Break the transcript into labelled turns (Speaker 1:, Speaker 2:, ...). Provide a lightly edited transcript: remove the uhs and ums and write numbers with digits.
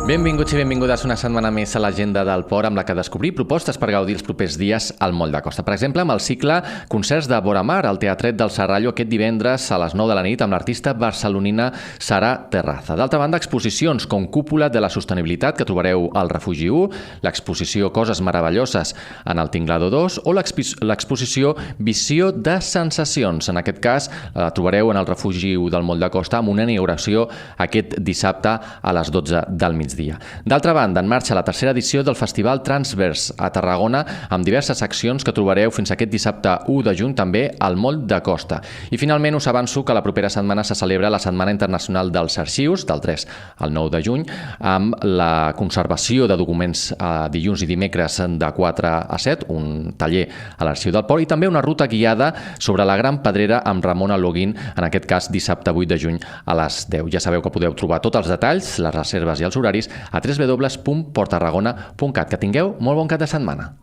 Speaker 1: Benvinguts i benvingudes una setmana més a l'Agenda del Port, amb la que descobrir propostes per gaudir els propers dies al Moll de Costa. Per exemple, amb el cicle Concerts de Vora Mar, al Teatret del Serrallo, aquest divendres a les 9 de la nit, amb l'artista barcelonina Sara Terraza. D'altra banda, exposicions com Cúpula de la Sostenibilitat, que trobareu al Refugi 1, l'exposició Coses Meravelloses en el Tinglado 2 o l'exposició Visió de Sensacions. En aquest cas, la trobareu en el Refugi 1 del Moll de Costa, amb una inauguració aquest dissabte a les 12 del migdia. D'altra banda, en marxa la tercera edició del Festival Transvers a Tarragona, amb diverses accions que trobareu fins aquest dissabte 1 de juny també al Moll de Costa. I finalment us avanço que la propera setmana se celebra la Setmana Internacional dels Arxius, del 3 al 9 de juny, amb la conservació de documents dilluns i dimecres de 4 a 7, un taller a l'Arxiu del Port, i també una ruta guiada sobre la Gran Pedrera amb Ramon Aloguín, en aquest cas dissabte 8 de juny a les 10. Ja sabeu que podeu trobar tots els detalls, les reserves i els horaris a www.porttarragona.cat. Que tingueu molt bon cap de setmana.